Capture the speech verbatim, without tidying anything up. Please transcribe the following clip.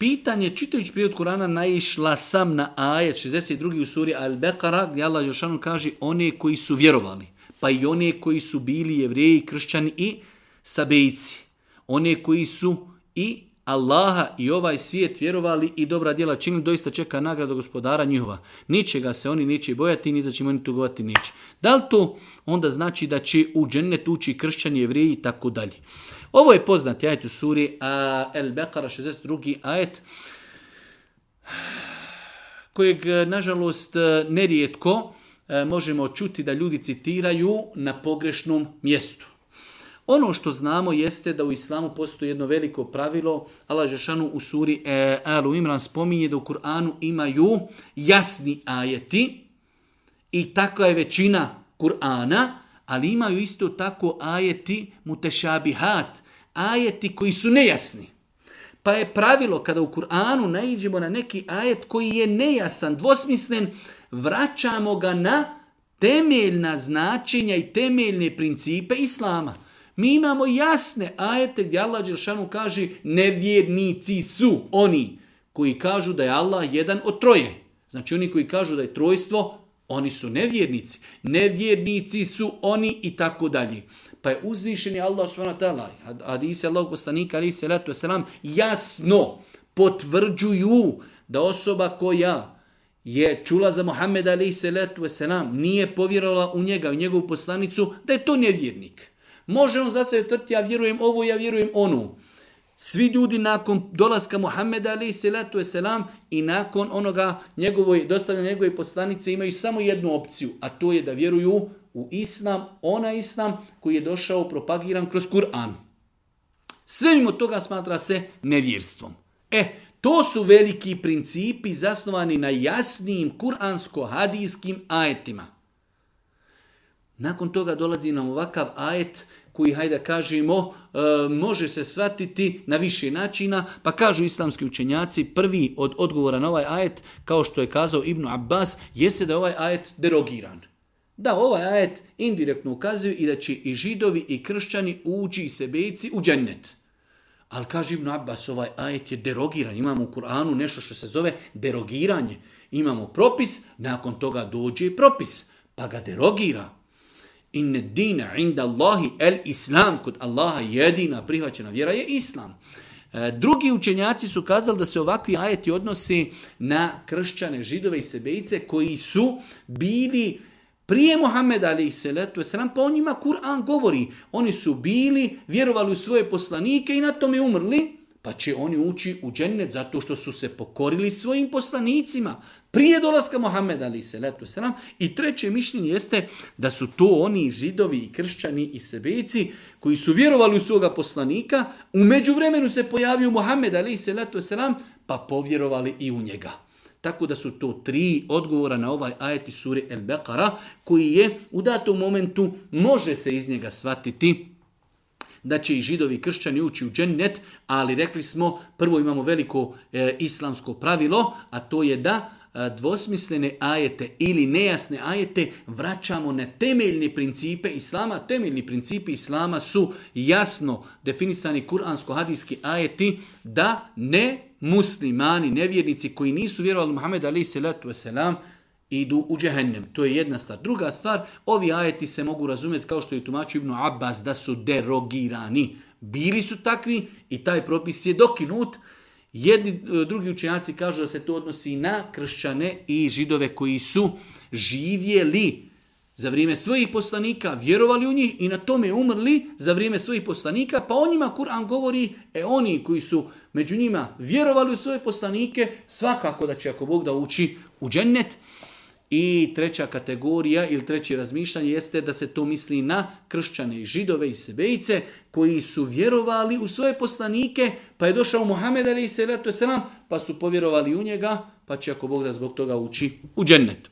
Pitanje, čitajući prijevod Kur'ana, naišla sam na ajet šezdeset drugi u suri Al-Beqara, gdje Allah dželešanu kaže one koji su vjerovali, pa i one koji su bili jevreji, kršćani i sabejci. One koji su i Allaha i ovaj svijet vjerovali i dobra djela činili, doista čeka nagrada gospodara njihova. Ničega se oni neće bojati, ni za čim oni tugovati neće. Da li to onda znači da će u džennet ući kršćani, jevreji i tako dalje? Ovo je poznati ajet u suri Al-Beqara, šezdeset drugi ajet, kojeg, nažalost, nerijetko možemo čuti da ljudi citiraju na pogrešnom mjestu. Ono što znamo jeste da u islamu postoji jedno veliko pravilo. Allah dželešanu u suri Alu Imran spominje da u Kur'anu imaju jasni ajeti i takva je većina Kur'ana, ali imaju isto tako ajeti mutešabihat, ajeti koji su nejasni. Pa je pravilo kada u Kur'anu naiđemo na neki ajet koji je nejasan, dvosmislen, vraćamo ga na temeljna značenja i temeljne principe islama. Mi imamo jasne ajete gdje Allah dželešanu kaže nevjernici su oni koji kažu da je Allah jedan od troje. Znači oni koji kažu da je trojstvo, oni su nevjernici. Nevjernici su oni i tako dalje. Pa je uzvišeni Allah subhanahu wa ta'ala, hadisi Allahog poslanika alejhi selatu vesselam, jasno potvrđuju da osoba koja je čula za Muhammeda alejhi selatu vesselam, nije povjerovala u njega, u njegovu poslanicu, da je to nevjernik. Može on za sebe tvrditi, ja vjerujem ovo, ja vjerujem ono. Svi ljudi nakon dolaska Muhammeda alejhi selatu vesselam i nakon onoga njegovoj, dostavljanja njegove poslanice imaju samo jednu opciju, a to je da vjeruju u islam, onaj islam koji je došao propagiran kroz Kur'an. Sve mimo toga smatra se nevjerstvom. E, to su veliki principi zasnovani na jasnim kuransko-hadijskim ajetima. Nakon toga dolazi nam ovakav ajet koji, hajde kažemo, e, može se shvatiti na više načina, pa kažu islamski učenjaci, prvi od odgovora na ovaj ajet, kao što je kazao Ibn Abbas, jeste da je ovaj ajet derogiran. Da, ovaj ajet indirektno ukazuje i da će i židovi i kršćani ući i sebejci u džennet. Ali kaže Ibn Abbas, ovaj ajet je derogiran. Imamo u Kur'anu nešto što se zove derogiranje. Imamo propis, nakon toga dođe propis, pa ga derogira. Inne dina inda Allahi el islam, kod Allaha jedina prihvaćena vjera je islam. Drugi učenjaci su kazali da se ovakvi ajeti odnosi na kršćane, židove i sebejce koji su bili prije Muhammeda alejhi selatu vesselam, pa o njima Kur'an govori. Oni su bili, vjerovali u svoje poslanike i na tome umrli, pa će oni ući u džennet zato što su se pokorili svojim poslanicima prije dolaska Muhammeda alejhi selatu vesselam. I treće mišljenje jeste da su to oni židovi i kršćani i sebejci koji su vjerovali u svoga poslanika, u međuvremenu se pojavio Muhammed alejhi selatu vesselam, pa povjerovali i u njega. Tako da su to tri odgovora na ovaj ajet iz sure Al-Beqara, koji je u datom momentu, može se iz njega shvatiti da će i židovi i kršćani ući u džennet, ali rekli smo, prvo imamo veliko e, islamsko pravilo, a to je da e, dvosmislene ajete ili nejasne ajete vraćamo na temeljne principe islama. Temeljni principi islama su jasno definisani kuransko-hadijski ajeti da ne muslimani, nevjernici koji nisu vjerovali Muhammed alejhi selatu vesselam idu u džehennem. To je jedna stvar. Druga stvar, ovi ajeti se mogu razumjeti kao što je tumačio Ibn Abbas da su derogirani. Bili su takvi i taj propis je dokinut. Jedni drugi učenjaci kažu da se to odnosi na kršćane i židove koji su živjeli za vrijeme svojih poslanika, vjerovali u njih i na tome umrli za vrijeme svojih poslanika, pa o njima Kur'an govori, e oni koji su među njima vjerovali u svoje poslanike, svakako da će ako Bog da ući u džennet. I treća kategorija ili treće razmišljanje jeste da se to misli na kršćane i židove i sebejce koji su vjerovali u svoje poslanike, pa je došao Muhammed alejhi selatu vesselam, pa su povjerovali u njega, pa će ako Bog da zbog toga ući u džennet.